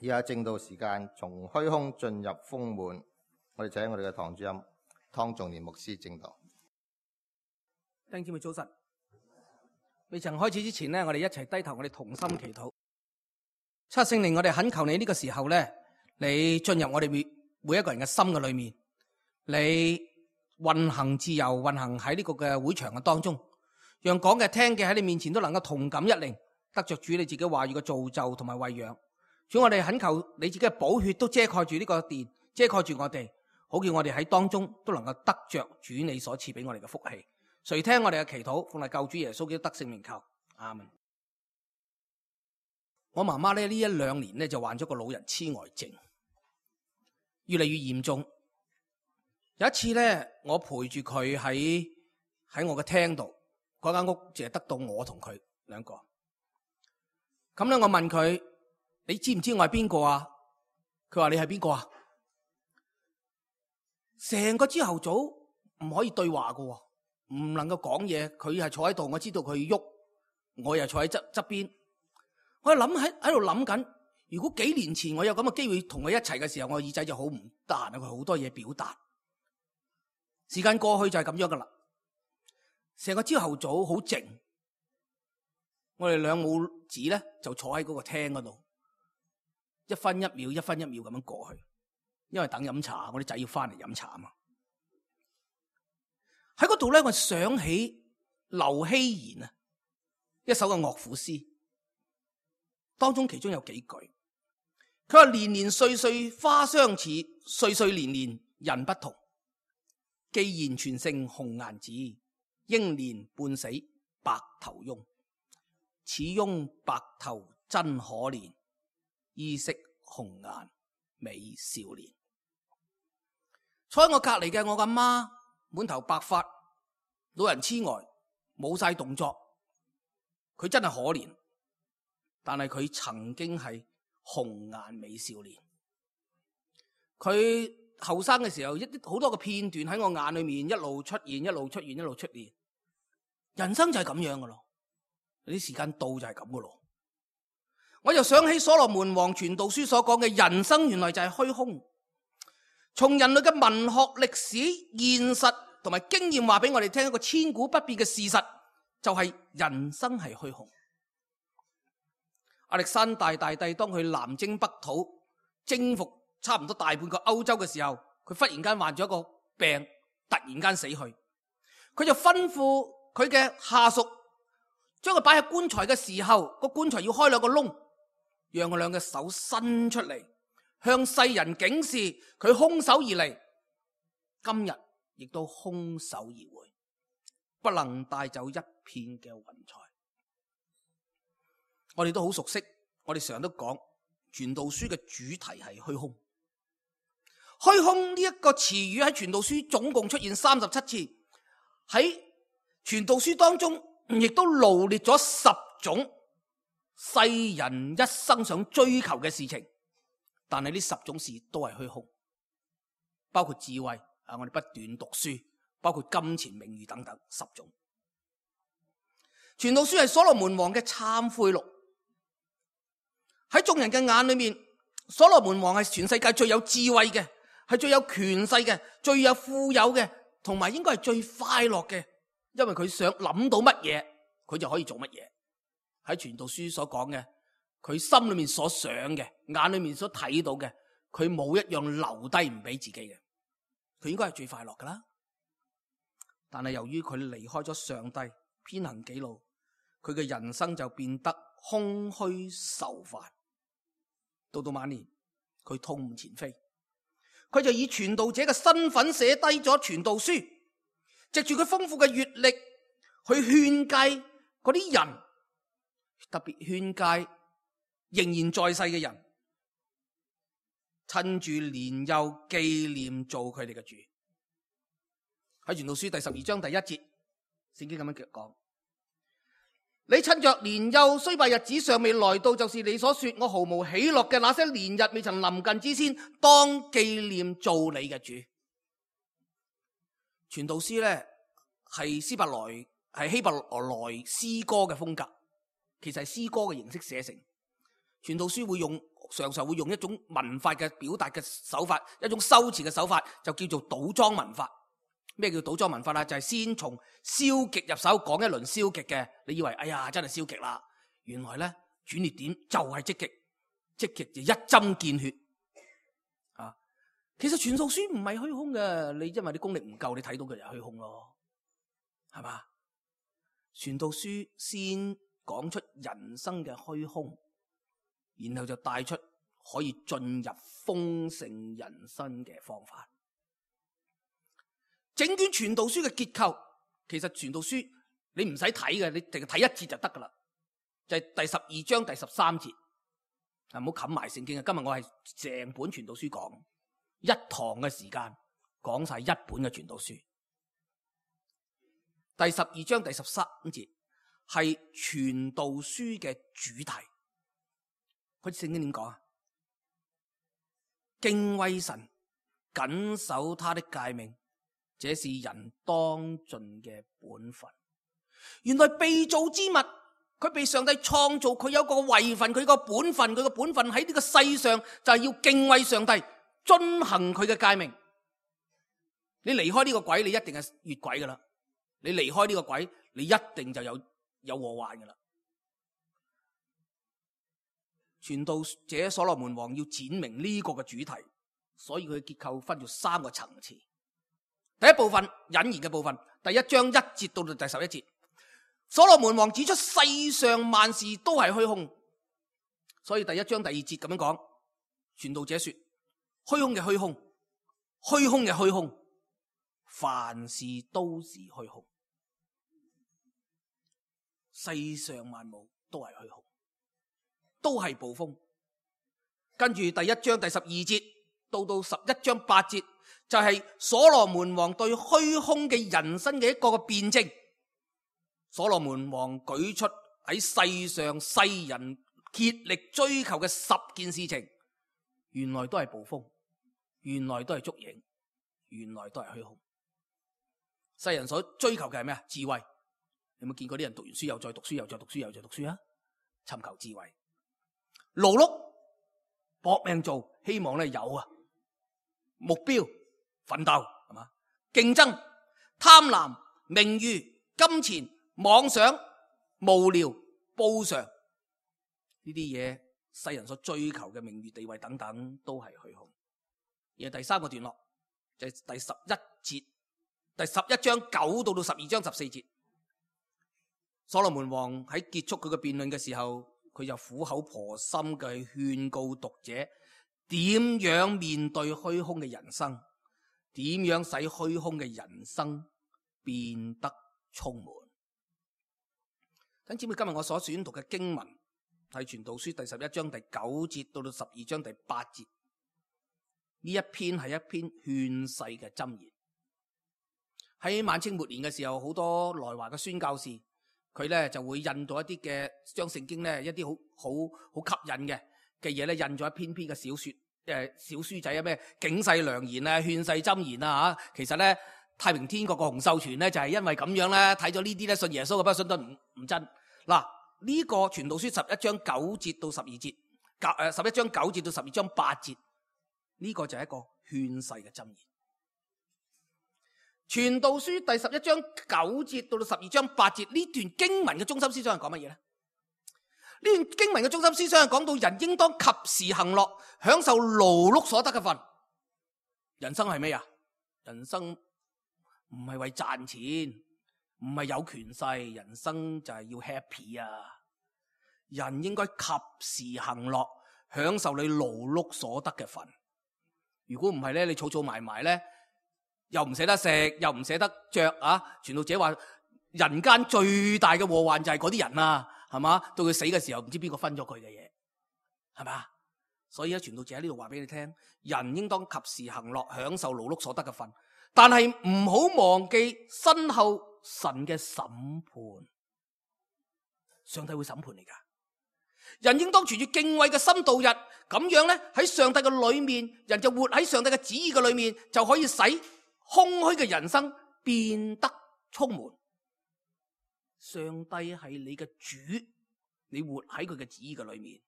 以下正道時間從虛空進入豐滿，我哋請我哋嘅堂主任湯仲年牧師正道。弟兄姊妹早晨，未曾開始之前呢，我哋一齊低頭，我哋同心祈禱。七聖靈，我哋懇求你呢個時候呢，你進入我哋每一個人嘅心嘅裏面，你運行自由，運行喺呢個嘅會場嘅當中，讓講嘅聽嘅喺你面前都能夠同感一靈，得着主你自己話語嘅造就同埋餵養。主，我哋懇求你自己嘅寶血都遮蓋住呢個殿，遮蓋住我哋，好叫我哋喺當中都能夠得着主你所賜俾我哋嘅福氣。垂聽我哋嘅祈禱，奉係救主耶穌基督得勝名求，阿門。我媽媽咧呢一兩年咧就患咗個老人痴呆症，越嚟越嚴重。有一次咧，我陪住佢喺我嘅廳度，嗰間屋淨係得到我同佢兩個。咁咧，我問佢：你知唔知我係邊個啊？佢話：你係邊個啊？成個朝頭早唔可以對話噶，唔能夠講嘢。佢係坐喺度，我知道佢喐，我又坐喺側邊。我喺度諗緊，如果幾年前我有咁嘅機會同佢一齊嘅時候，我耳仔就好唔得閒啊，佢好多嘢表達。時間過去就係咁樣噶啦，成個朝頭早好靜，我哋兩母子咧就坐喺嗰個廳嗰度，一分一秒咁樣過去，因為等飲茶，我啲仔要翻嚟飲茶啊嘛。喺嗰度咧，我想起劉希賢啊一首嘅樂府詩。當中其中有幾句，佢話：年年歲歲花相似，歲歲年年人不同。既然全勝紅顏子，英年半死白頭翁。此翁白頭真可憐，衣飾紅顏美少年。坐喺我隔籬嘅我阿媽，滿頭白髮，老人痴呆，冇晒動作，佢真係可憐。但係佢曾經係紅顏美少年，佢後生嘅時候好多個片段喺我眼裏面一路出現，一路出現，一路出現。人生就係咁樣噶咯，有啲時間到就係咁噶咯。我又想起所羅門王傳道書所講嘅人生原來就係虛空。從人類嘅文學、歷史、現實同埋經驗話俾我哋聽一個千古不變嘅事實，就係人生係虛空。亞歷山大大帝當佢南征北討，征服差唔多大半個歐洲嘅時候，佢忽然間患咗一個病，突然間死去。佢就吩咐佢嘅下屬將佢擺喺棺材嘅時候，個棺材要開兩個窿，讓佢兩個手伸出嚟，向世人警示佢空手而嚟，今日亦都空手而回，不能帶走一片嘅雲彩。我哋都好熟悉，我哋成日都講傳道書嘅主題係虛空。虛空呢一個詞語喺傳道書總共出現37次，喺傳道書當中亦都羅列咗10種世人一生想追求嘅事情，但係呢10種事都係虛空，包括智慧啊，我哋不斷讀書，包括金錢、名譽等等10種。傳道書係所羅門王嘅懺悔錄。喺眾人嘅眼裏面，所羅門王係全世界最有智慧嘅，係最有權勢嘅，最有富有嘅，同埋應該係最快樂嘅，因為佢想諗到乜嘢，佢就可以做乜嘢。喺傳道書所講嘅，佢心裏面所想嘅，眼裏面所睇到嘅，佢冇一樣留低唔俾自己嘅，佢應該係最快樂噶啦。但係由於佢離開咗上帝，偏行己路，佢嘅人生就變得空虛愁煩。到晚年，佢痛唔前非，佢就以傳道者嘅身份寫低咗傳道書，藉住佢豐富嘅閱歷去勸誡嗰啲人，特別勸誡仍然在世嘅人，趁住年幼紀念做佢哋嘅主。喺傳道書第12章第1節，聖經咁樣講：你趁着年幼衰敗日子尚未來到，就是你所說我毫無喜樂嘅那些年日未曾臨近之先，當紀念做你嘅主。傳道書咧係希伯來詩歌嘅風格，其實係詩歌嘅形式寫成。傳道書會用常常會用一種文法嘅表達嘅手法，一種修辭嘅手法，就叫做倒裝文法。咩叫倒裝文法啦？就係先從消極入手，講一輪消極嘅，你以為哎呀真係消極啦，原來咧轉捩點就係積極，積極就一針見血啊！其實傳道書唔係虛空嘅，你因為你功力唔夠，你睇到佢就虛空咯，係嘛？傳道書先講出人生嘅虛空，然後就帶出可以進入豐盛人生嘅方法。整卷傳道書嘅結構，其實傳道書你唔使睇嘅，你淨係睇一節就得噶啦。就係第12章第13節，唔好冚埋聖經啊！今日我係成本傳道書講，一堂嘅時間講晒一本嘅傳道書。第12章第13節係傳道書嘅主題。佢聖經點講啊？敬畏神，謹守他的誡命，這是人當盡嘅本分。原來被造之物，佢被上帝創造，佢有個位份，佢個本分，佢個本分喺呢個世上就係要敬畏上帝，遵行佢嘅誡命。你離開呢個軌，你一定係越軌噶啦。你離開呢個軌，你一定就有禍患噶啦。傳道者所羅門王要闡明呢個嘅主題，所以佢嘅結構分咗3個層次。第一部分引言嘅部分，第1章1節到第11節，所羅門王指出世上萬事都係虛空，所以第1章第2節咁樣講，傳道者說：虛空嘅虛空，虛空嘅虛空，凡事都是虛空，世上萬物都係虛空，都係暴風。跟住第1章第12節到11章8節，就係所羅門王對虛空嘅人生嘅一個嘅辯證。所羅門王舉出喺世上世人竭力追求嘅10件事情，原來都係暴風，原來都係捉影，原來都係虛空。世人所追求嘅係咩啊？智慧。你有冇見過啲人讀完書又再讀書，又再讀書，又再讀書啊？尋求智慧。勞碌搏命做，希望咧有啊目標奮鬥，係嘛？競爭、貪婪、名譽、金錢、妄想、無聊、報償，呢啲嘢世人所追求嘅名譽、地位等等都係虛空。而第3個段落就係第11節，第11章9到12章14節，所羅門王喺結束佢嘅辯論嘅時候，佢就苦口婆心嘅勸告讀者點樣面對虛空嘅人生，點樣使虛空嘅人生變得充滿。等姊妹，今日我所選讀嘅經文係傳道書第11章第9節到12章第8節，呢一篇係一篇勸世嘅箴言。喺晚清末年嘅時候，好多來華嘅宣教士，佢咧就會印到一啲嘅將聖經咧一啲好吸引嘅嘢咧，印咗一篇嘅小書仔啊，咩警世良言啊、勸世箴言啊吓。其實咧太平天國個洪秀全咧就係因為咁樣咧睇咗呢啲咧信耶穌嘅，不過信得唔真。嗱，呢個傳道書11章9節到12節，11章9節到12章8節，呢個就係一個勸世嘅箴言。傳道書第11章9節到12章8節，呢段經文嘅中心思想係講乜嘢咧？呢段經文嘅中心思想係講到人應當及時行樂，享受勞碌所得嘅份。人生係咩啊？人生唔係為賺錢，唔係有權勢，人生就係要 happy 啊！人應該及時行樂，享受你勞碌所得嘅份。如果唔係咧，你儲儲埋埋咧，又唔捨得食，又唔捨得着啊！傳道者話人間最大嘅禍患就係嗰啲人啊，係嘛？到佢死嘅時候，唔知邊個分咗佢嘅嘢，係嘛？所以咧，傳道者喺呢度話俾你聽，人應當及時行樂，享受勞碌所得嘅份，但係唔好忘記身後神嘅審判。上帝會審判你噶，人應當存住敬畏嘅心度日，咁樣咧喺上帝嘅裏面，人就活喺上帝嘅旨意嘅裏面，就可以使空虛嘅人生變得充滿。上帝係你嘅主，你活喺佢嘅旨意嘅裏面，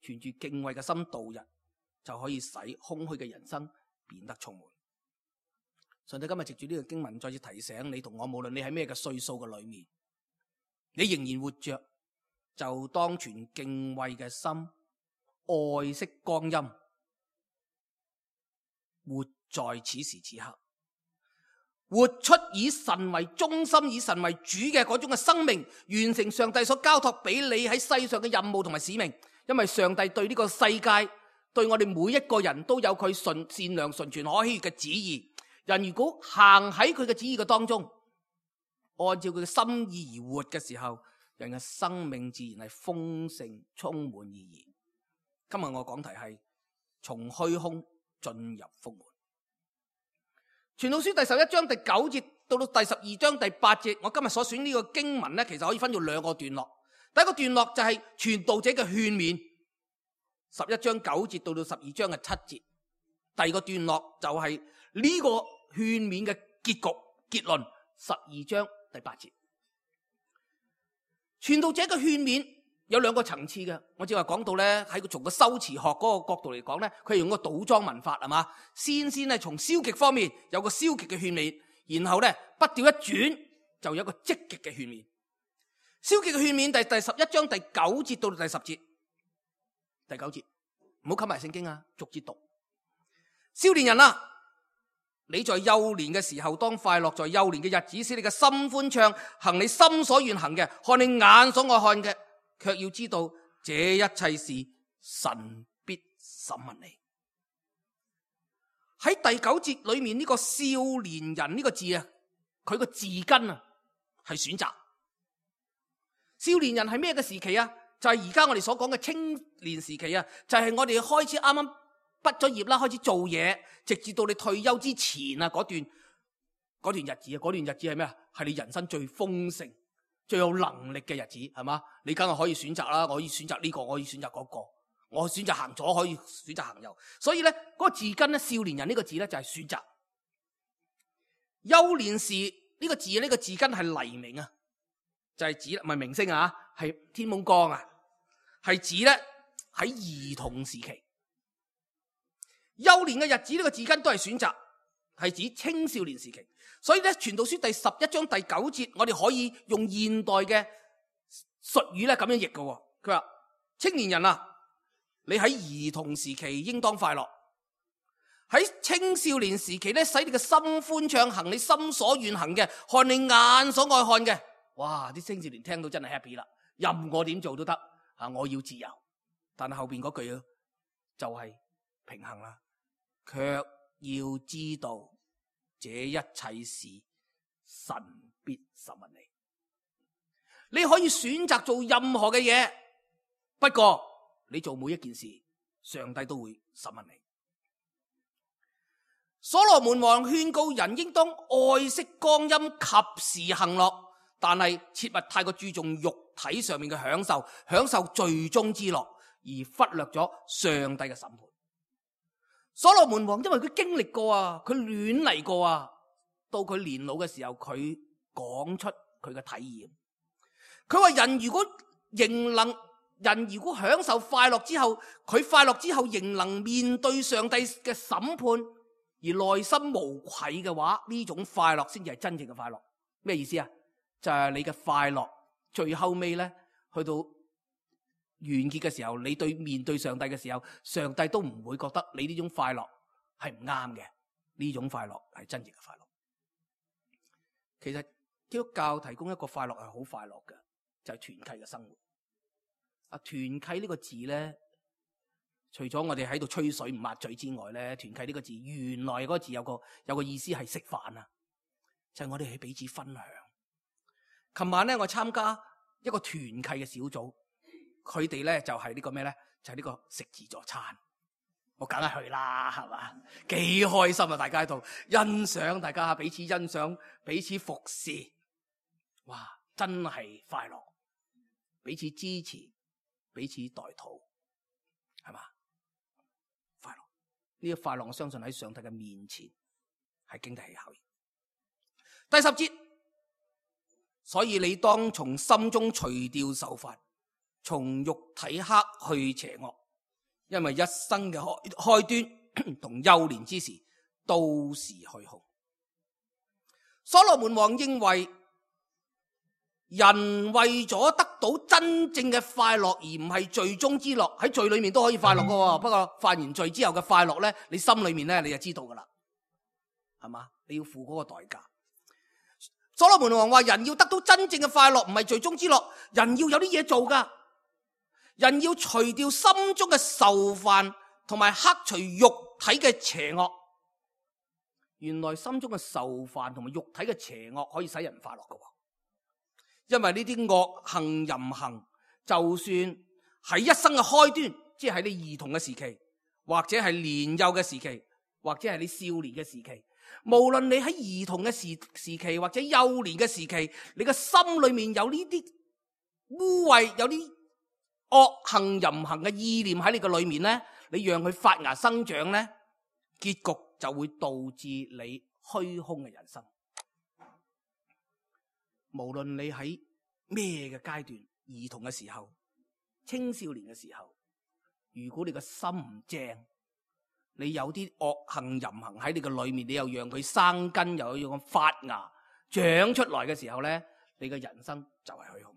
存住敬畏嘅心度日，就可以使空虛嘅人生變得充滿。上帝今日藉住呢個經文再次提醒你同我，無論你喺咩嘅歲數嘅裏面，你仍然活着，就當存敬畏嘅心，愛惜光陰，活在此時此刻，活出以神為中心、以神為主嘅嗰種嘅生命，完成上帝所交託俾你喺世上嘅任務同埋使命。因為上帝對呢個世界，對我哋每一個人都有佢善良、純全、可喜悅嘅旨意。人如果行喺佢嘅旨意嘅當中，按照佢嘅心意而活嘅時候，人嘅生命自然係豐盛、充滿意義。今日我講題係從虛空進入豐滿。傳道書第11章第9節到第12章第8節，我今日所選呢個經文呢，其實可以分做兩個段落。第一個段落就係傳道者嘅勸勉，11章9節到12章嘅7節。第二個段落就係呢個勸勉嘅結局結論，12章第8節。傳道者嘅勸勉有兩個層次嘅，我正話講到咧，喺從個修辭學嗰個角度嚟講咧，佢係用個倒裝文法係嘛，先咧從消極方面有個消極嘅勸勉，然後咧筆調一轉就有一個積極嘅勸勉。消極嘅勸勉第11章第9節到第10節，第9節唔好冚埋聖經啊，逐節讀。少年人啊，你在幼年嘅時候當快樂，在幼年嘅日子使你嘅心歡暢，行你心所願行嘅，看你眼所愛看嘅，卻要知道這一切事神必審問你。喺第9節裏面呢個少年人呢個字啊，佢個字根啊係選擇。少年人係咩嘅時期啊？就係而家我哋所講嘅青年時期啊，就係我哋開始啱啱畢咗業啦，開始做嘢，直至到你退休之前啊嗰段日子啊，嗰段日子係咩啊？係你人生最豐盛、最有能力嘅日子，係嘛？你梗係可以選擇啦，我可以選擇呢個，我可以選擇嗰個，我選擇行左，可以選擇行右。所以咧，嗰個字根咧，少年人呢個字咧就係選擇。幼年時呢個字，呢個字根係黎明啊，就係指唔係明星啊，係天蒙光啊，係指咧喺兒童時期。幼年嘅日子呢個字根都係選擇，係指青少年時期。所以咧，傳道書第11章第9節，我哋可以用現代嘅術語咧咁樣譯嘅。佢話：青年人啊，你喺兒童時期應當快樂；喺青少年時期咧，使你嘅心歡暢，行你心所願行嘅，看你眼所愛看嘅。哇！啲青少年聽到真係 happy 啦，任我點做都得啊！我要自由。但係後邊嗰句就係平衡啦。卻要知道這一切事神必審問你。你可以選擇做任何嘅嘢，不過你做每一件事，上帝都會審問你。所羅門王勸告人應當愛惜光陰，及時行樂，但係切勿太過注重肉體上面嘅享受罪中之樂，而忽略咗上帝嘅審判。所羅門王因為佢經歷過啊，佢亂嚟過啊，到佢年老嘅時候，佢講出佢嘅體驗。佢話人如果享受快樂之後，佢快樂之後仍能面對上帝嘅審判，而內心無愧嘅話，呢種快樂先至係真正嘅快樂。咩意思啊？就係你嘅快樂最後尾咧，去到完結嘅時候，你面對上帝嘅時候，上帝都唔會覺得你呢種快樂係唔啱嘅。呢種快樂係真正嘅快樂。其實基督教提供一個快樂係好快樂嘅，就係團契嘅生活。團契呢個字咧，除咗我哋喺度吹水唔抹嘴之外咧，團契呢個字原來嗰個字有個意思係食飯啊，就係我哋係彼此分享。琴晚咧，我參加一個團契嘅小組。佢哋咧就係呢個咩咧？就係呢個食自助餐，我梗係去啦，係嘛？幾開心啊！大家喺度欣賞，大家彼此欣賞，彼此服侍，哇！真係快樂，彼此支持，彼此代禱，係嘛？快樂呢個快樂，我相信喺上帝嘅面前係經得起考驗。第10節，所以你當從心中除掉愁煩，從肉體克去邪惡，因為一生嘅開端同幼年之時都是虛空。所羅門王認為人為咗得到真正嘅快樂，而唔係罪中之樂。喺罪裏面都可以快樂噶，不過犯完罪之後嘅快樂呢，你心裏面呢，你就知道噶啦，係嘛？你要付嗰個代價。所羅門王話人要得到真正嘅快樂，唔係罪中之樂，人要有啲嘢做噶，人要除掉心中嘅愁煩，同埋克除肉體嘅邪惡。原來心中嘅愁煩同埋肉體嘅邪惡可以使人快樂噶。因為呢啲惡行淫行，就算喺一生嘅開端，即係喺你兒童嘅時期，或者係年幼嘅時期，或者係你少年嘅時期，無論你喺兒童嘅時期或者幼年嘅時期，你嘅心裏面有呢啲污穢，有啲惡行淫行嘅意念喺你嘅裏面呢，你讓佢發芽生長呢，結局就會導致你虛空嘅人生。無論你喺咩嘅階段，兒童嘅時候、青少年嘅時候，如果你個心唔正，你有啲惡行淫行喺你嘅裏面，你又讓佢生根，又要咁發芽長出來嘅時候咧，你嘅人生就係虛空。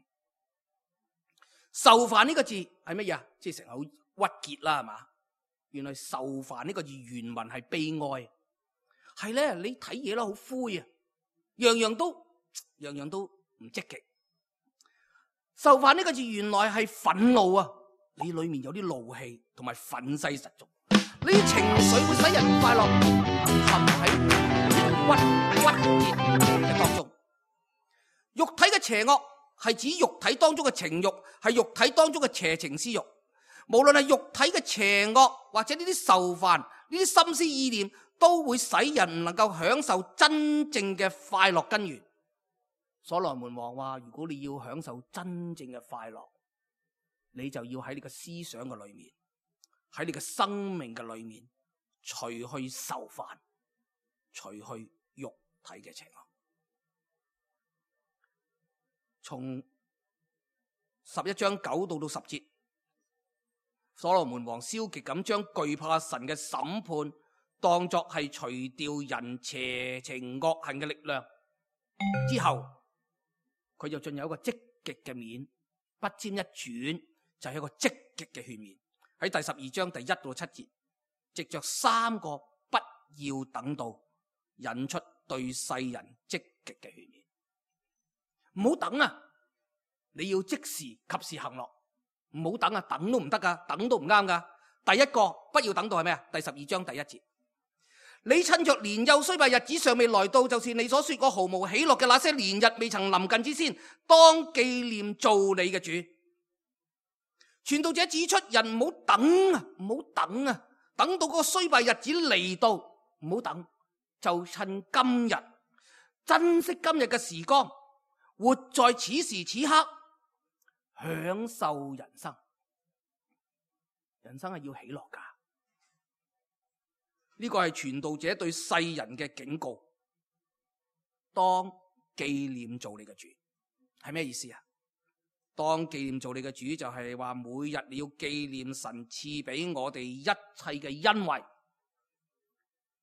愁煩呢個字係乜嘢啊？即係成日好鬱結啦，係嘛？原來愁煩呢個字原文係悲哀，係咧，你睇嘢啦好灰啊，樣樣都唔積極。愁煩呢個字原來係憤怒啊，你裏面有啲怒氣同埋憤世嫉俗，呢啲情緒會使人快樂，陷喺鬱結嘅當中。肉體嘅邪惡係指肉體當中嘅情慾，係肉體當中嘅邪情私慾。無論係肉體嘅邪惡或者呢啲愁煩，呢啲心思意念，都會使人唔能夠享受真正嘅快樂根源。所羅門王話：如果你要享受真正嘅快樂，你就要喺你嘅思想嘅裏面，喺你嘅生命嘅裏面，除去愁煩，除去肉體嘅邪惡。從11章9到10節，所羅門王消極咁將懼怕神嘅審判當作係除掉人邪情惡行嘅力量之後，佢就進入一個積極嘅面，不沾一轉就係一個積極嘅勸勉。喺第12章第1到7節，藉着3個不要等到，引出對世人積極嘅勸勉。唔好等啊！你要即時及時行樂，唔好等啊！等都唔得噶，等都唔啱噶。第一個不要等到係咩啊？第12章第1節。你趁着年幼衰敗日子尚未來到，就是你所說過毫無喜樂嘅那些年日未曾臨近之先，當紀念造你嘅主。傳道者指出，人唔好等啊，唔好等啊，等到嗰個衰敗日子嚟到，唔好等，就趁今日，珍惜今日嘅時光，活在此時此刻，享受人生。人生係要喜樂噶。呢個係傳道者對世人嘅警告。當紀念做你嘅主係咩意思啊？當紀念做你嘅主就係話，每日你要紀念神賜俾我哋一切嘅恩惠。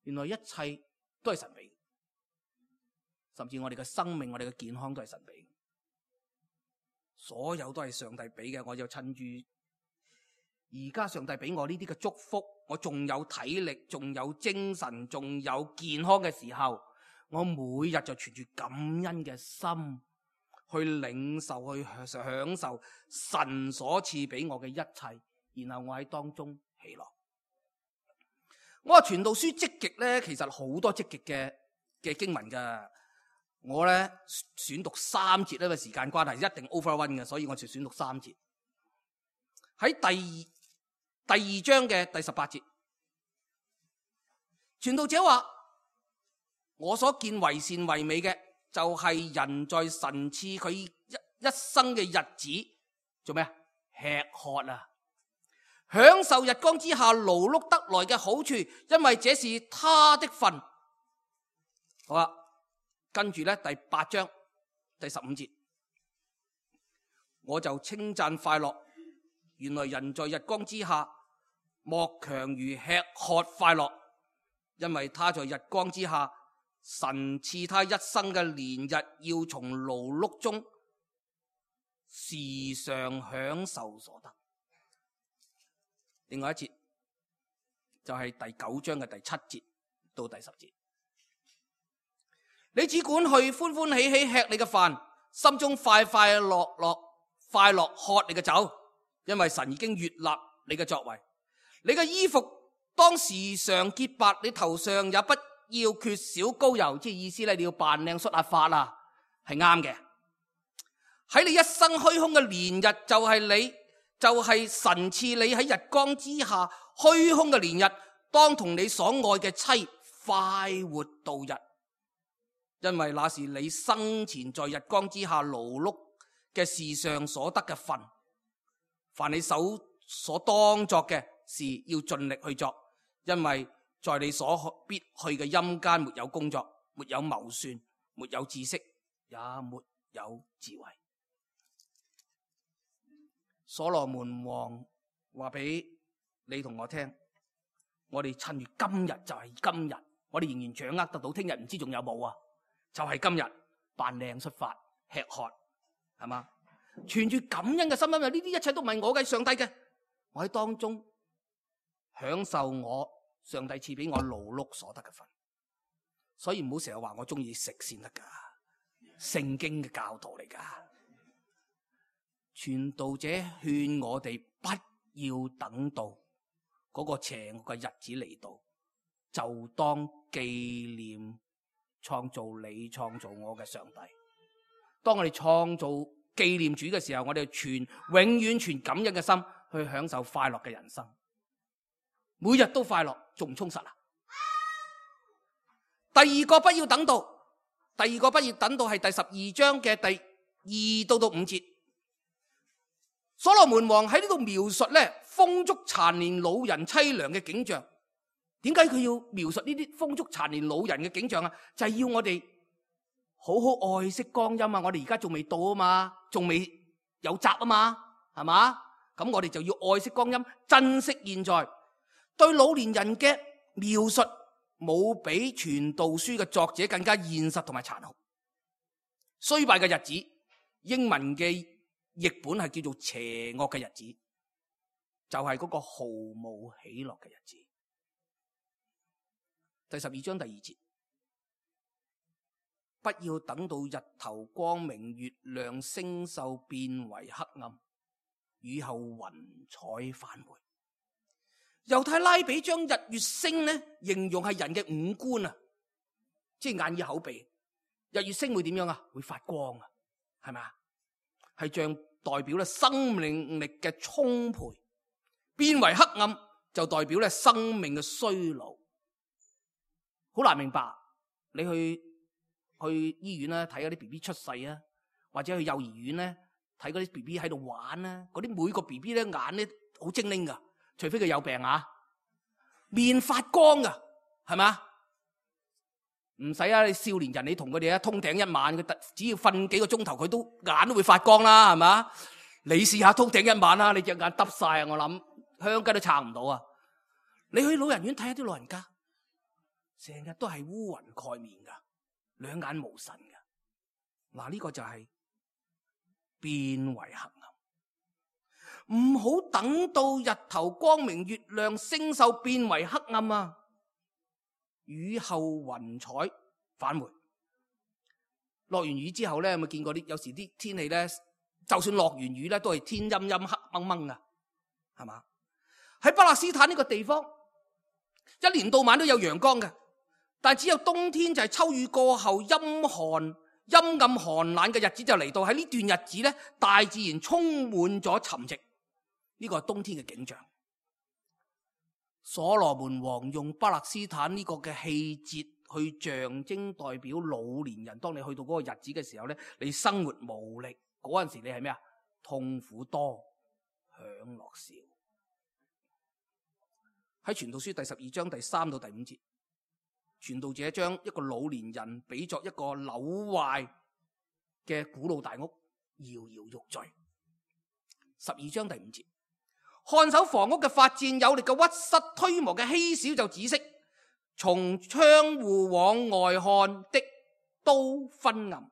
原來一切都係神俾，甚至我哋嘅生命、我哋嘅健康都係神俾，所有都係上帝俾嘅。我就趁住而家上帝俾我呢啲嘅祝福，我仲有體力，仲有精神，仲有健康嘅時候，我每日就存住感恩嘅心去領受，去享受神所賜俾我嘅一切，然後我喺當中喜樂。我話傳道書積極咧，其實好多積極嘅經文噶。我咧選讀3節，因為時間關係一定 overrun 嘅，所以我就選讀3節。喺第二章嘅第18節，傳道者話：我所見為善為美嘅，就係人在神賜佢一生嘅日子做咩啊？吃喝啊，享受日光之下勞碌得來嘅好處，因為這是他的份。好啦，跟住咧第8章第15節，我就稱讚快樂。原來人在日光之下莫強如吃喝快樂，因為他在日光之下，神賜他一生嘅年日，要從勞碌中時常享受所得。另外一節就係第9章嘅第7節到第10節，你只管去歡歡喜喜吃你嘅飯，心中快快樂樂喝你嘅酒，因為神已經悅納你嘅作為。你嘅衣服當時常潔白，你頭上也不要缺少膏油，即係意思咧，你要扮靚梳下髮啦，係啱嘅。喺你一生虛空嘅年日，就係神賜你喺日光之下虛空嘅年日，當同你所愛嘅妻快活度日，因為那是你生前在日光之下勞碌嘅事上所得嘅份。凡你手所當作嘅事，要盡力去做，因為在你所必去嘅陰間沒有工作，沒有謀算，沒有知識，也沒有智慧。所羅門王話俾你同我聽，我哋趁住今日就係今日，我哋仍然掌握得到，聽日唔知仲有冇啊？就係今日扮靚出發吃喝，係嘛？存住感恩嘅心，因為呢啲一切都唔係我嘅，上帝嘅，我喺當中享受我上帝賜俾我勞碌所得嘅份。所以唔好成日話我中意食先得噶，聖經嘅教導嚟噶。傳道者勸我哋不要等到嗰個邪惡嘅日子嚟到，就當紀念創造你創造我嘅上帝。當我哋創造紀念主嘅時候，我哋永遠存感恩嘅心去享受快樂嘅人生，每日都快樂，仲唔充實啊？第二個不要等到係第12章嘅第2到5節。所羅門王喺呢度描述咧風燭殘年老人淒涼嘅景象。點解佢要描述呢啲風燭殘年老人嘅景象啊？就係要我哋好好愛惜光陰啊！我哋而家仲未到啊嘛，仲未有責啊嘛，係嘛？咁我哋就要愛惜光陰，珍惜現在。對老年人嘅描述冇比傳道書嘅作者更加現實同埋殘酷。衰敗嘅日子，英文嘅譯本係叫做邪惡嘅日子，就係嗰個毫無喜樂嘅日子。第12章第2節，不要等到日頭光明，月亮星宿變為黑暗，雨後雲彩返回。猶太拉比將日月星呢形容係人嘅五官啊，即係眼耳口鼻。日月星會點樣啊？會發光啊，係咪啊？係像代表咧生命力嘅充沛，變為黑暗就代表咧生命嘅衰老。好難明白，你去醫院咧睇嗰啲 BB 出世啊，或者去幼兒園咧睇嗰啲 BB 喺度玩啊，嗰啲每個 BB 咧眼咧好精靈噶，除非佢有病啊，面發光噶，係咪？唔使啊！你少年人你同佢哋通頂一晚，佢只要瞓幾個鐘頭，佢眼都會發光啦，係嘛？你試下通頂一晚啦，你隻眼耷晒啊！我諗香雞都撐唔到啊！你去老人院睇下啲老人家，成日都係烏雲蓋面噶，兩眼無神噶。嗱，呢個就係變為黑暗。唔好等到日頭光明，月亮星宿變為黑暗啊！雨後雲彩返回。落完雨之後咧，有冇見過有時啲天氣咧，就算落完雨咧，都係天陰陰黑掹掹噶，係嘛？喺巴勒斯坦呢個地方，一年到晚都有陽光嘅，但只有冬天就係秋雨過後陰暗寒冷嘅日子就嚟到。喺呢段日子咧，大自然充滿咗沉寂，呢個係冬天嘅景象。所羅門王用巴勒斯坦呢個嘅氣節去象徵代表老年人。當你去到嗰個日子嘅時候咧，你生活無力嗰陣時，你係咩啊？痛苦多，享樂少。喺傳道書第12章第3到第5節，傳道者將一個老年人比作一個朽壞嘅古老大屋，搖搖欲墜。12章第5節，看守房屋嘅發顫有力嘅屈膝，推磨嘅稀少就止息。從窗戶往外看的都昏暗。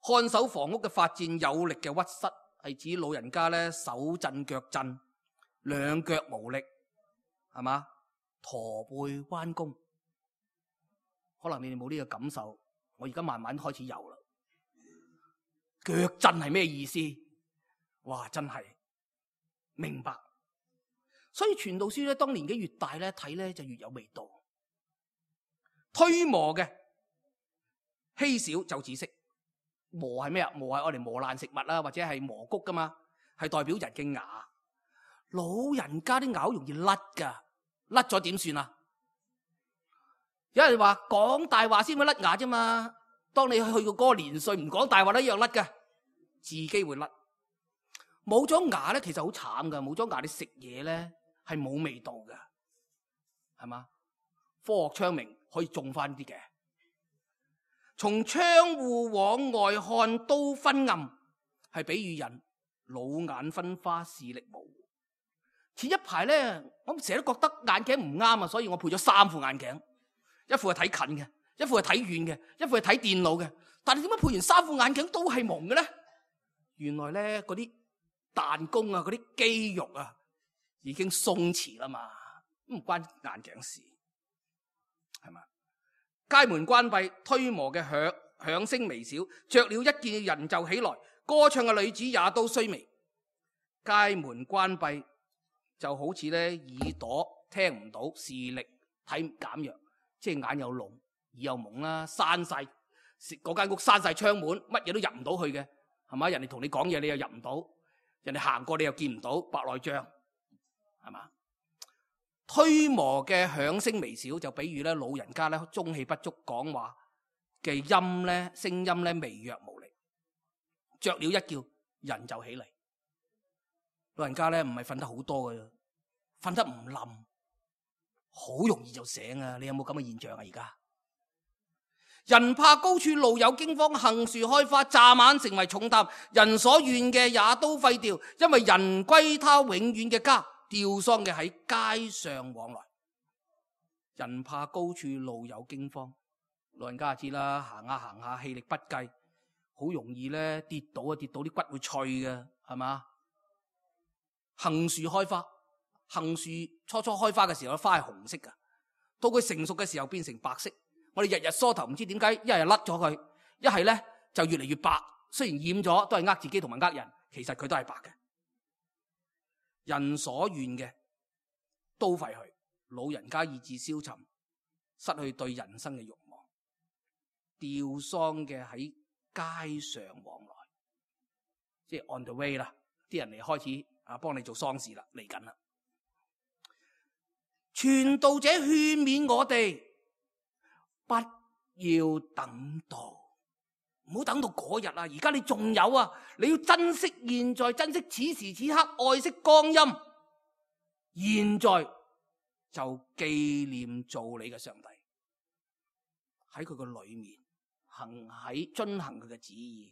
看守房屋嘅發顫有力嘅屈膝，係指老人家咧手震腳震，兩腳無力，係嘛？駝背彎弓。可能你哋冇呢個感受，我而家慢慢開始有啦。腳震係咩意思？哇，真係明白。所以傳道書咧，當年紀越大咧，睇咧就越有味道。推磨嘅稀少就止息。磨係咩啊？磨係我哋磨爛食物啦，或者係磨谷噶嘛，係代表人嘅牙。老人家啲牙好容易甩噶，甩咗點算啊？有人話講大話先會甩牙啫嘛。當你去過嗰個年歲，唔講大話都一樣甩噶，自己會甩。冇咗牙咧，其實好慘噶。冇咗牙，你食嘢咧係冇味道噶，係嘛？科學昌明，可以種翻啲嘅。從窗戶往外看都昏暗，係比喻人老眼昏花，視力模糊。前一排咧，我成日都覺得眼鏡唔啱啊，所以我配咗3副眼鏡，一副係睇近嘅，一副係睇遠嘅，一副係睇電腦嘅。但係點解配完3副眼鏡都係蒙嘅咧？原來咧嗰啲彈弓啊，嗰啲肌肉啊，已經鬆弛啦嘛，唔關眼鏡事，係嘛？街門關閉，推磨嘅響聲微小，雀鳥一見人就起來，歌唱嘅女子也都衰微。街門關閉就好似咧耳朵聽唔到，視力睇減弱，即係眼有聾，耳有蒙啦，閂晒嗰間屋，閂晒窗門，乜嘢都入唔到去嘅，係嘛？人哋同你講嘢，你又入唔到，人哋行過你又見唔到，白內障，係嘛？推磨嘅響聲微小，就比喻咧老人家咧中氣不足，講話嘅音咧聲音咧微弱無力。雀鳥一叫，人就起嚟。老人家咧唔係瞓得好多嘅，瞓得唔冧，好容易就醒啊！你有冇咁嘅現象啊？而家人怕高處，路有驚慌，杏樹開花，乍晚成為重擔，人所願嘅也都廢掉，因為人歸他永遠嘅家。吊喪嘅喺街上往來，人怕高處，路有驚慌。老人家就知啦，行下行下，氣力不繼，好容易咧跌倒啊！跌到啲骨會脆嘅，係嘛？杏樹開花，杏樹初初開花嘅時候，花係紅色噶，到佢成熟嘅時候變成白色。我哋日日梳頭，唔知點解一係甩咗佢，一係咧就越嚟越白。雖然染咗，都係呃自己同埋呃人，其實佢都係白嘅。人所願嘅都廢去，老人家意志消沉，失去對人生嘅慾望。吊喪嘅喺街上往來，即係 on the way 啦，啲人嚟開始幫你做喪事啦，嚟緊啦。傳道者勸勉我哋，不要等到。唔好等到嗰日啊！而家你仲有啊，你要珍惜現在，珍惜此時此刻，愛惜光陰。現在就紀念造你嘅上帝，喺佢個裏面遵行佢嘅旨意，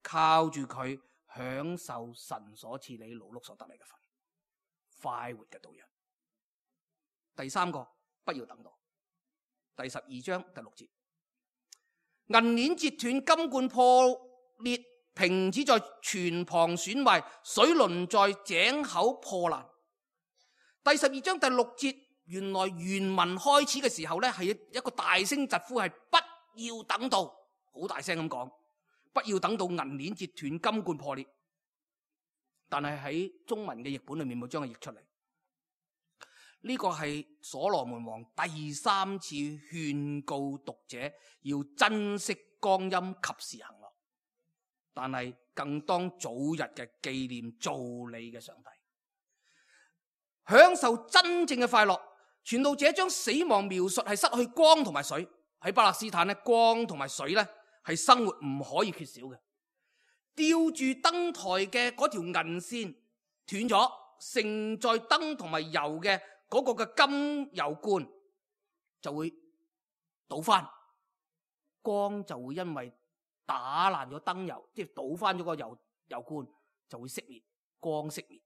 靠住佢享受神所賜你勞碌所得嚟嘅份，快活嘅度日。第3個，不要等到。第12章第6節。銀鏈折斷，金罐破裂，瓶子在泉旁損壞，水輪在井口破爛。第12章第6節，原來原文開始嘅時候咧，係一個大聲疾呼，係不要等到，好大聲咁講，不要等到銀鏈折斷，金罐破裂。但係喺中文嘅譯本裏面冇將佢譯出嚟。呢個係所羅門王第3次勸告讀者要珍惜光陰，及時行樂，但係更當早日嘅紀念造你嘅上帝，享受真正嘅快樂。傳道者將死亡描述係失去光同埋水。喺巴勒斯坦咧，光同埋水咧係生活唔可以缺少嘅。吊住燈台嘅嗰條銀線斷咗，盛載燈同埋油嘅嗰個嘅金油罐就會倒翻，光就會因為打爛咗燈油，即係倒翻咗個油罐就會熄滅，光熄滅。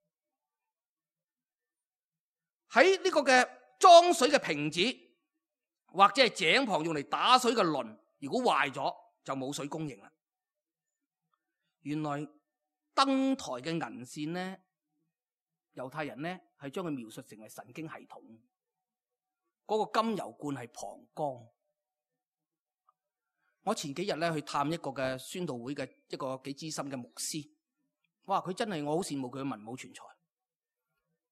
喺呢個嘅裝水嘅瓶子，或者係井旁用嚟打水嘅輪，如果壞咗就冇水供應啦。原來燈台嘅銀線呢，猶太人呢係將佢描述成為神經系統。嗰個金油罐係膀胱。我前幾日咧去探一個嘅宣道會嘅一個幾資深嘅牧師，哇！佢真係我好羨慕佢嘅文武全才。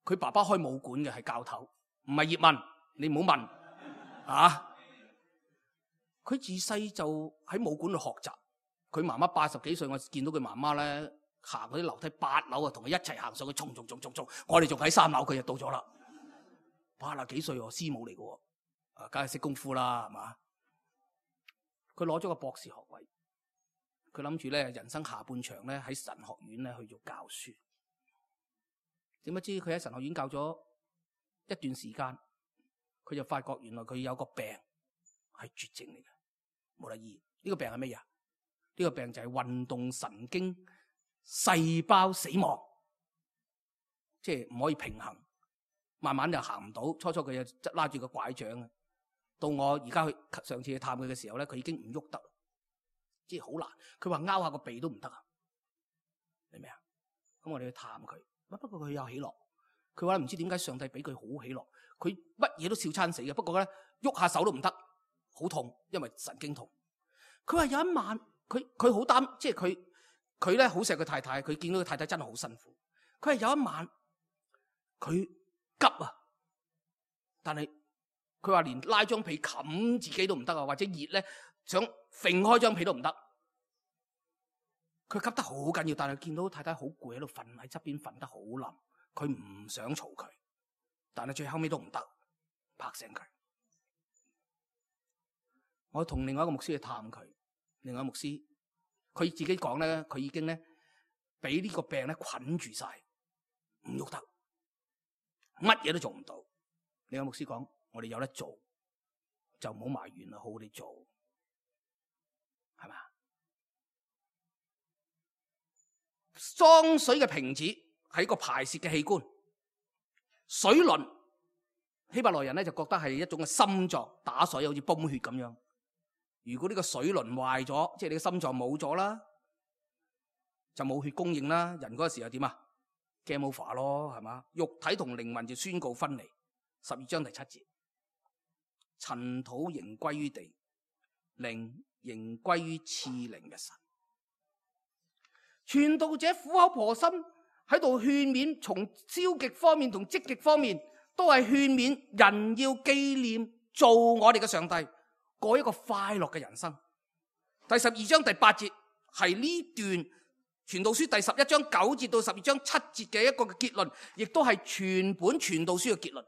佢爸爸開武館嘅係教頭，唔係葉問，你唔好問啊！佢自細就喺武館度學習。佢媽媽80幾歲，我見到佢媽媽咧行嗰啲樓梯8樓啊，同佢一齊行上去，衝！我哋仲喺3樓，佢就到咗啦。80幾歲喎，師母嚟嘅喎，啊，梗係識功夫啦，係嘛？佢攞咗個博士學位，佢諗住咧人生下半場咧喺神學院咧去做教書。點不知佢喺神學院教咗一段時間，佢就發覺原來佢有個病係絕症嚟嘅，冇得醫。呢個病係乜嘢？呢個病就係運動神經細胞死亡，即係唔可以平衡，慢慢就行唔到。初初佢就拉住個拐杖啊。到我而家上次去探佢嘅時候咧，佢已經唔喐得，即係好難。佢話拗下個鼻都唔得啊，明唔明啊？咁我哋去探佢，不過佢有喜樂。佢話唔知點解上帝俾佢好喜樂，佢乜嘢都笑餐死嘅。不過咧喐下手都唔得，好痛，因為神經痛。佢話有一晚，佢好擔，即係佢咧好錫佢太太，佢見到佢太太真係好辛苦。佢係有一晚佢急啊，但係。佢話連拉張被冚自己都唔得啊，或者熱咧想揈開張被都唔得。佢急得好緊要，但係見到太太好攰喺度瞓喺側邊瞓得好冧，佢唔想嘈佢，但係最後尾都唔得，拍醒佢。我同另外一個牧師去探佢，另外一個牧師佢自己講咧，佢已經咧俾呢個病咧捆住晒，唔喐得，乜嘢都做唔到。另外一個牧師講。我哋有得做，就唔好埋怨啦，好好地做，係嘛？裝水嘅瓶子係一個排泄嘅器官，水輪希伯來人咧就覺得係一種嘅心臟打水，好似泵血咁樣。如果呢個水輪壞咗，即係你嘅心臟冇咗啦，就冇血供應啦。人嗰個時候點啊 ？Game over 咯，係嘛？肉體同靈魂就宣告分離。12章第7節。塵土仍歸於地，靈仍歸於賜靈嘅神。傳道者苦口婆心喺度勸勉，從消極方面同積極方面，都係勸勉人要紀念做我哋嘅上帝，過一個快樂嘅人生。第12章第8節係呢段傳道書第11章9節到12章7節嘅一個結論，亦都係全本傳道書嘅結論。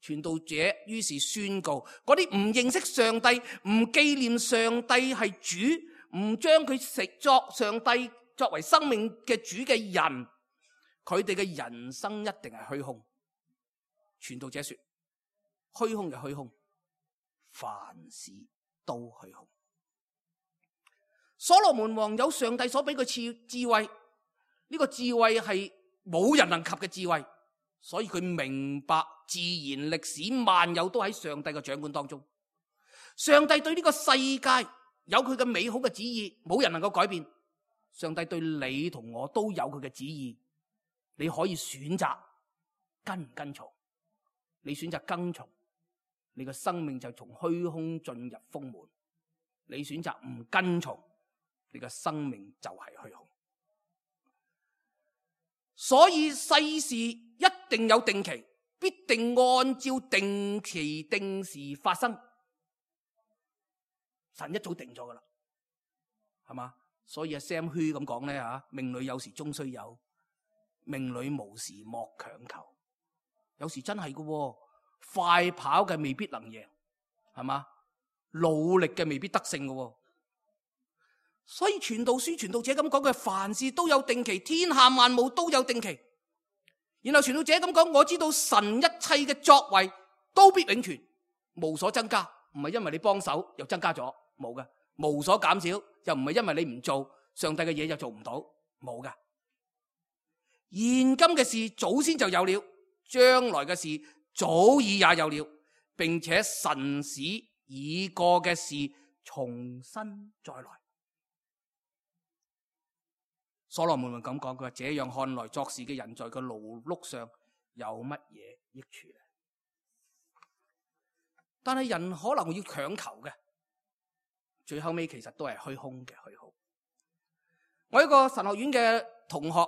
傳道者於是宣告，嗰啲唔認識上帝、唔紀念上帝係主、唔將佢食作上帝作為生命嘅主嘅人，佢哋嘅人生一定係虛空。傳道者說，虛空嘅虛空，凡事都虛空。所羅門王有上帝所俾佢賜智慧，呢個智慧係冇人能及嘅智慧，所以佢明白自然歷史萬有都喺上帝嘅掌管當中。上帝對呢個世界有佢嘅美好嘅旨意，冇人能夠改變。上帝對你同我都有佢嘅旨意，你可以選擇跟唔跟從。你選擇跟從，你嘅生命就從虛空進入豐滿；你選擇唔跟從，你嘅生命就係虛空。所以世事一定有定期，必定按照定期定時發生。神一早定咗噶啦，係嘛？所以阿 Sam Hui 咁講咧吓，命裏有時終須有，命裏無時莫強求。有時真係噶，快跑嘅未必能贏，係嘛？努力嘅未必得勝噶。所以傳道書傳道者咁講嘅，凡事都有定期，天下萬物都有定期。然後傳道者咁講，我知道神一切嘅作為都必永存，無所增加，唔係因為你幫手又增加咗，冇嘅；無所減少，又唔係因為你唔做上帝嘅嘢就做唔到，冇嘅。現今嘅事早先就有了，將來嘅事早已也有了，並且神使已過嘅事重新再來。所羅門咁講，佢話這樣看來，作事嘅人在佢勞碌上有乜嘢益處呢？但係人可能要強求嘅，最後尾其實都係虛空嘅虛耗。我一個神學院嘅同學，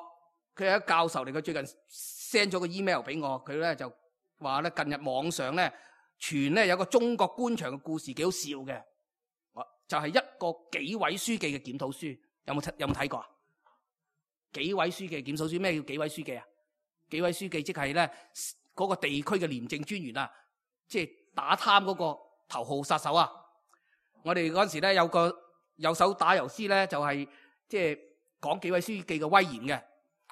佢係一個教授嚟，佢最近 send 咗個 email 俾我，佢咧就話咧近日網上咧傳咧有個中國官場嘅故事，幾好笑嘅，就係一個紀委書記嘅檢討書，有冇睇過啊？紀委書記檢討書，咩叫紀委書記啊？紀委書記即係咧嗰個地區嘅廉政專員啊，即係打貪嗰個頭號殺手啊！我哋嗰陣時咧有個有手打油詩咧，就係即係講紀委書記嘅威嚴嘅，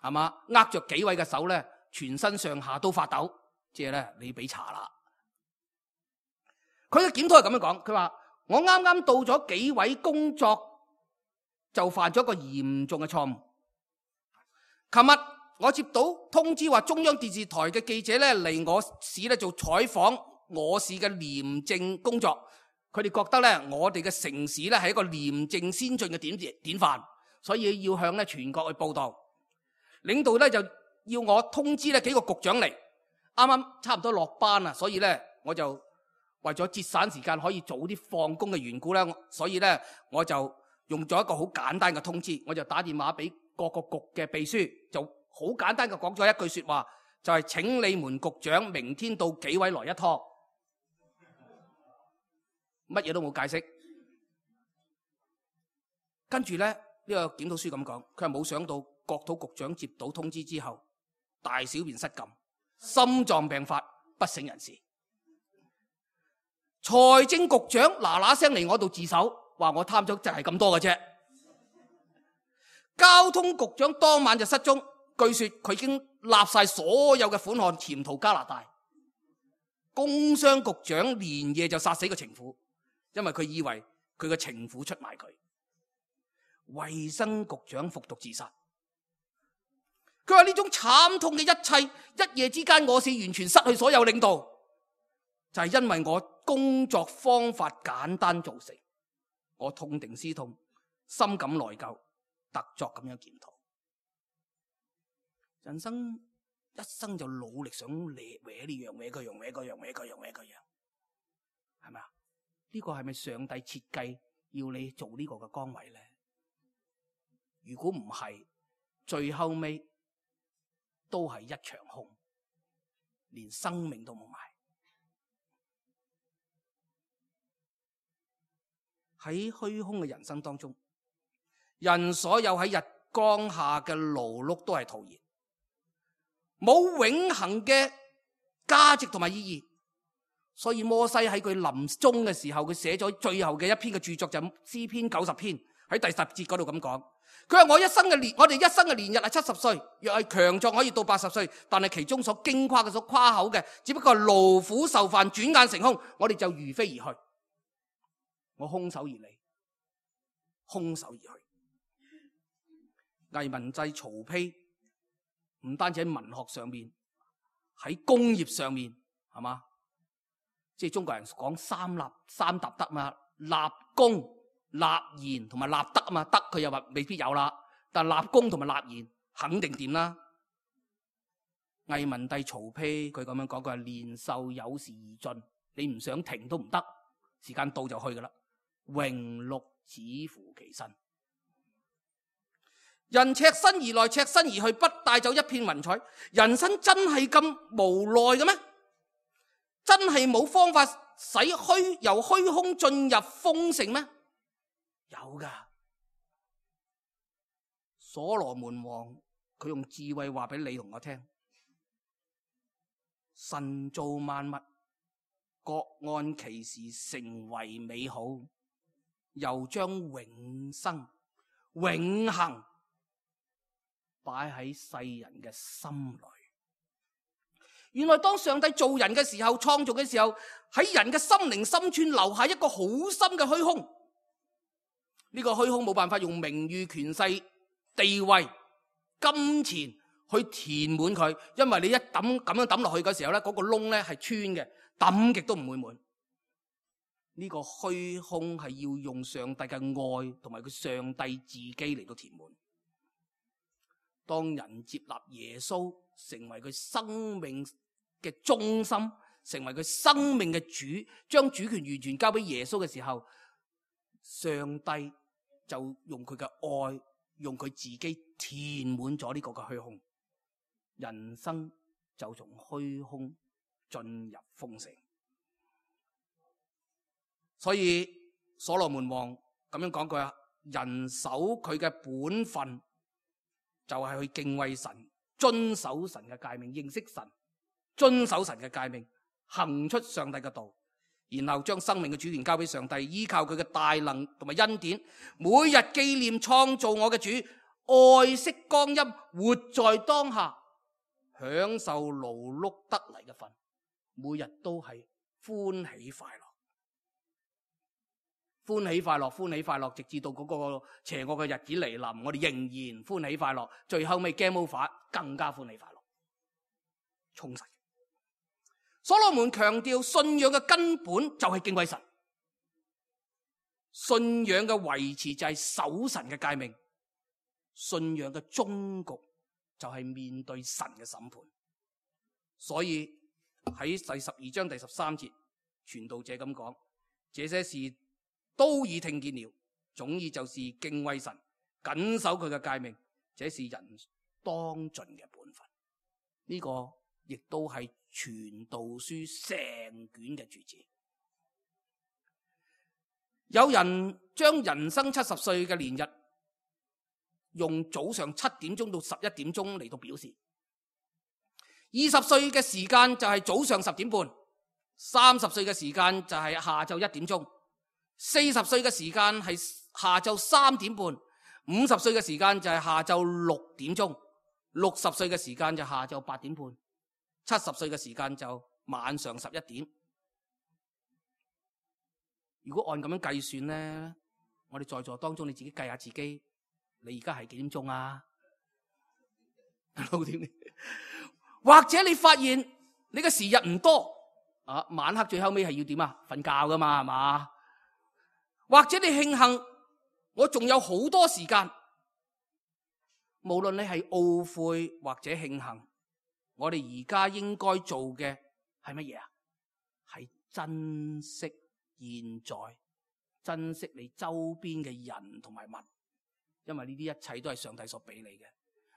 係嘛？握着紀委嘅手咧，全身上下都發抖，即係咧你俾查啦。佢嘅檢討係咁樣講，佢話我啱啱到咗紀委工作，就犯咗一個嚴重嘅錯誤。琴日我接到通知話，中央電視台嘅記者咧嚟我市咧做採訪，我市嘅廉政工作，佢哋覺得咧我哋嘅城市咧係一個廉政先進嘅典範，所以要向咧全國去報道。領導咧就要我通知咧幾個局長嚟，啱啱差唔多落班啦，所以咧我就為咗節省時間，可以早啲放工嘅緣故咧，所以咧我就用咗一個好簡單嘅通知，我就打電話俾各個局嘅秘書，就好簡單嘅講咗一句說話，就係請你們局長明天到紀委來一趟，乜嘢都冇解釋。跟住咧呢個檢討書咁講，佢係冇想到國土局長接到通知之後，大小便失禁，心臟病發，不省人事。財政局長嗱聲嚟我度自首，話我貪咗就係咁多嘅啫。交通局長當晚就失蹤，據說佢已經立晒所有嘅款項潛逃加拿大。工商局長連夜就殺死個情婦，因為佢以為佢個情婦出賣佢。衛生局長服毒自殺。佢話呢種慘痛嘅一切，一夜之間我是完全失去所有領導，就係因為我工作方法簡單造成。我痛定思痛，深感內疚，特作咁樣檢討。人生一生就努力想搲呢樣搲嗰樣搲嗰樣搲嗰樣搲嗰樣，係咪啊？呢個係咪上帝設計要你做呢個嘅崗位咧？如果唔係，最後尾都係一場空，連生命都冇埋。喺虛空嘅人生當中，人所有喺日光下嘅勞碌都係徒然，冇永恆嘅價值同埋意義。所以摩西喺佢臨終嘅時候，佢寫咗最後嘅一篇嘅著作，就係詩篇90篇，喺第10節嗰度咁講。佢話我哋一生嘅年日係70歲，若係強壯可以到80歲，但係其中所矜誇嘅、所誇口嘅，只不過係勞苦受煩，轉眼成空，我哋就如飛而去。我空手而嚟，空手而去。藝文祭曹丕唔單止喺文學上面，喺工業上面，係嘛？即係中國人講三達德嘛，立功、立言同埋立德啊嘛。德佢又話未必有啦，但立功同埋立言肯定掂啦。藝文帝曹丕佢咁樣講，佢話年壽有時而盡，你唔想停都唔得，時間到就去噶啦。榮祿只乎其身，人赤身而來，赤身而去，不帶走一片雲彩。人生真係咁無奈嘅咩？真係冇方法使由虛空進入豐盛咩？有噶。所羅門王佢用智慧話俾你同我聽，神造萬物，各按其時成為美好，又將永生、永恆擺喺世人嘅心裏。原來當上帝造人嘅時候，創造嘅時候，喺人嘅心靈深處留下一個好深嘅虛空。呢個虛空冇辦法用名譽、權勢、地位、金錢去填滿佢，因為你一抌咁樣抌落去嘅時候咧，嗰個窿咧係穿嘅，抌極都唔會滿。呢個虛空係要用上帝嘅愛同埋佢上帝自己嚟到填滿。當人接納耶穌成為佢生命嘅中心，成為佢生命嘅主，將主權完全交俾耶穌嘅時候，上帝就用佢嘅愛，用佢自己填滿咗呢個嘅虛空，人生就從虛空進入豐盛。所以所羅門王咁樣講句啊，人守佢嘅本分就係去敬畏神，遵守神嘅誡命，認識神，遵守神嘅誡命，行出上帝嘅道，然後將生命嘅主權交俾上帝，依靠佢嘅大能同埋恩典，每日紀念創造我嘅主，愛惜光陰，活在當下，享受勞碌得嚟嘅份，每日都係歡喜快樂。歡喜快樂，歡喜快樂，直至到嗰個邪惡嘅日子嚟臨，我哋仍然歡喜快樂。最後尾 game over， 更加歡喜快樂，充實。所羅門強調信仰嘅根本就係敬畏神，信仰嘅維持就係守神嘅誡命，信仰嘅終局就係面對神嘅審判。所以喺第12章第13節，傳道者咁講，這些事都已聽見了，總意就是敬畏神，謹守佢嘅誡命，這是人當盡嘅本分。呢個亦都係傳道書成卷嘅主旨。有人將人生70歲嘅年日用早上7點鐘到11點鐘嚟到表示，20歲嘅時間就係早上10點半，30歲嘅時間就係下晝1點鐘，40歲嘅時間係下晝3點半，50歲嘅時間就係下晝6點鐘，60歲嘅時間就下晝8點半，70歲嘅時間就晚上11點。如果按咁樣計算呢，我哋在座當中你自己計下自己，你而家係幾點鐘啊？6點。或者你發現你嘅時日唔多啊，晚黑最後尾係要點啊？瞓覺噶嘛，係嘛？或者你慶幸我仲有好多時間，無論你係懊悔或者慶幸，我哋而家應該做嘅係乜嘢啊？係珍惜現在，珍惜你周邊嘅人同埋物，因為呢啲一切都係上帝所俾你嘅。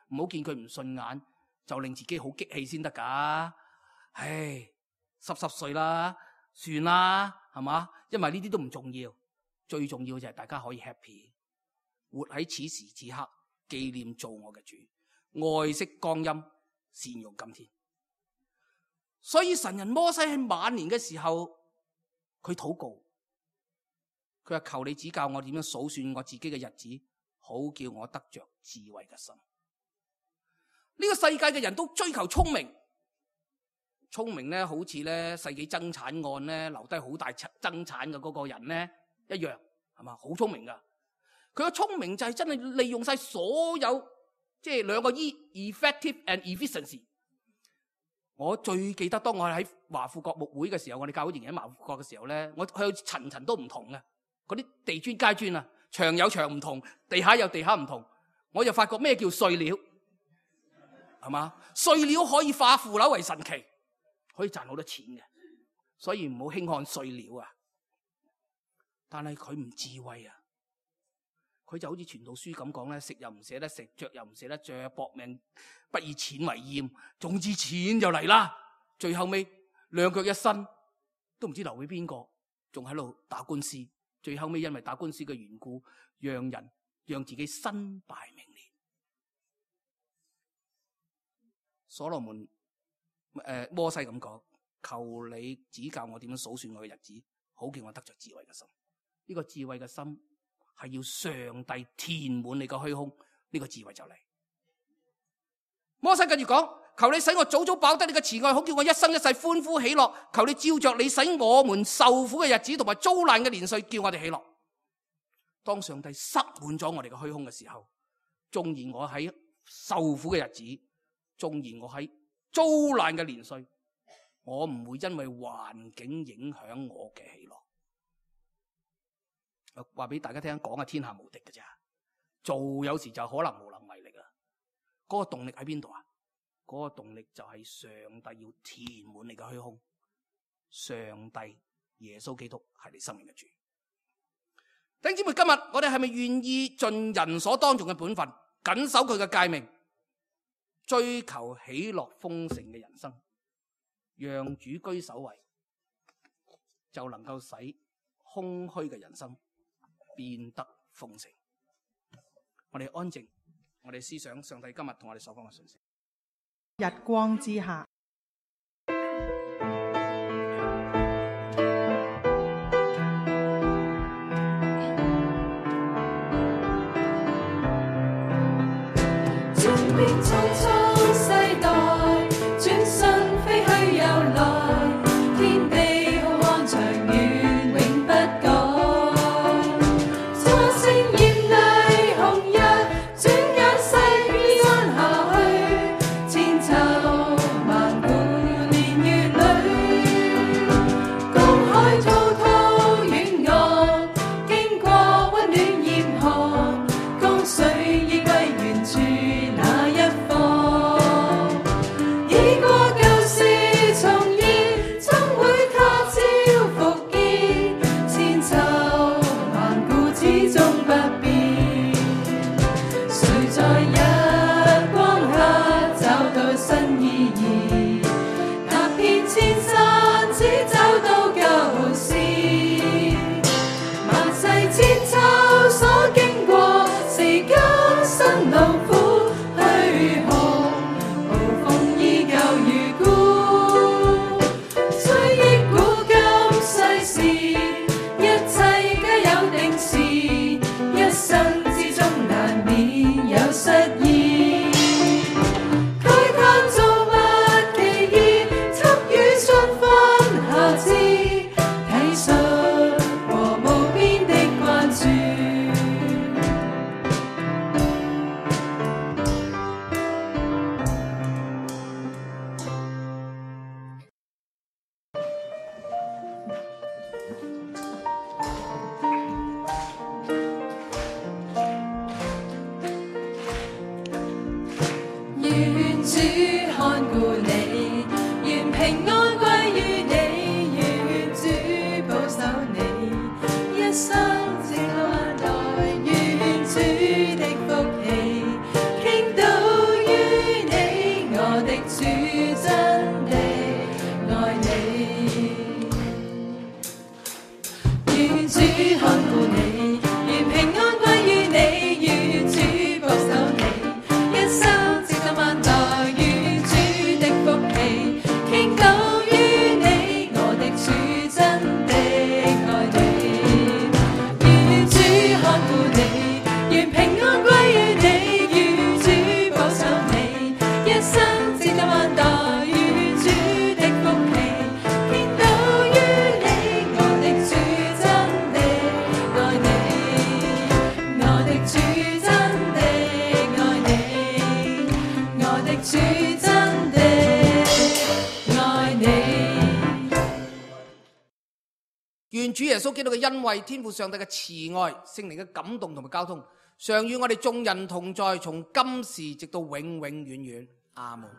唔好見佢唔順眼就令自己好激氣先得噶。唉，10歲啦，算啦，係嘛？因為呢啲都唔重要。最重要就係大家可以 happy， 活喺此時此刻，紀念做我嘅主，愛惜光陰，善用今天。所以神人摩西喺晚年嘅時候，佢禱告，佢話求你指教我點樣數算我自己嘅日子，好叫我得着智慧嘅心。呢個世界嘅人都追求聰明，聰明咧好似咧世紀爭產案咧留低好大爭產嘅嗰個人咧一樣，係嘛？好聰明噶，佢嘅聰明就係真係利用晒所有，即係兩個 effective and efficiency。我最記得當我喺華富國牧會嘅時候，我哋教會仍然喺華富國嘅時候咧，我去層層都唔同嘅，嗰啲地磚街磚啊，牆有牆唔同，地下有地下唔同，我就發覺咩叫碎料，係嘛？碎料可以化腐朽為神奇，可以賺好多錢嘅，所以唔好輕看碎料啊！但係佢唔智慧啊，佢就好似傳道書咁講咧，食又唔捨得食，着又唔捨得着，搏命不以錢為厭，總之錢就嚟啦。最後尾兩腳一伸，都唔知留俾邊個，仲喺度打官司。最後尾因為打官司嘅緣故，讓自己身敗名裂。所羅門摩西咁講，求你指教我點樣數算我嘅日子，好叫我得着智慧嘅心。呢個智慧嘅心係要上帝填滿你個虛空，呢個智慧就嚟。摩西跟住講，求你使我早早飽得你嘅慈愛，好叫我一生一世歡呼喜樂。求你照着你使我們受苦嘅日子同埋遭難嘅年歲，叫我哋喜樂。當上帝塞滿咗我哋嘅虛空嘅時候，縱然我喺受苦嘅日子，縱然我喺遭難嘅年歲，我唔會因為環境影響我嘅喜樂。話俾大家聽，講係天下無敵嘅咋，做有時就可能無能為力啦。嗰個動力喺邊度啊？嗰個動力就係上帝要填滿你嘅虛空。上帝耶穌基督係你生命嘅主。弟兄姊妹，今日我哋係咪願意盡人所當盡嘅本分，謹守佢嘅誡命，追求喜樂豐盛嘅人生，讓主居首位，就能夠使空虛嘅人生變得豐盛。我哋安靜，我哋思想上帝今日同我哋所講嘅信息。日光之下，轉變匆匆世代，轉身飛去又來，天地浩瀚長遠永不改。初升豔麗紅日，轉眼世變安下去，千秋萬古年月裏，江海滔滔遠岸，經過溫暖嚴寒，江水已歸原處。願主耶穌基督嘅恩惠、天父上帝嘅慈愛、聖靈嘅感動同埋交通，常與我哋眾人同在，從今時直到永永遠遠。阿門。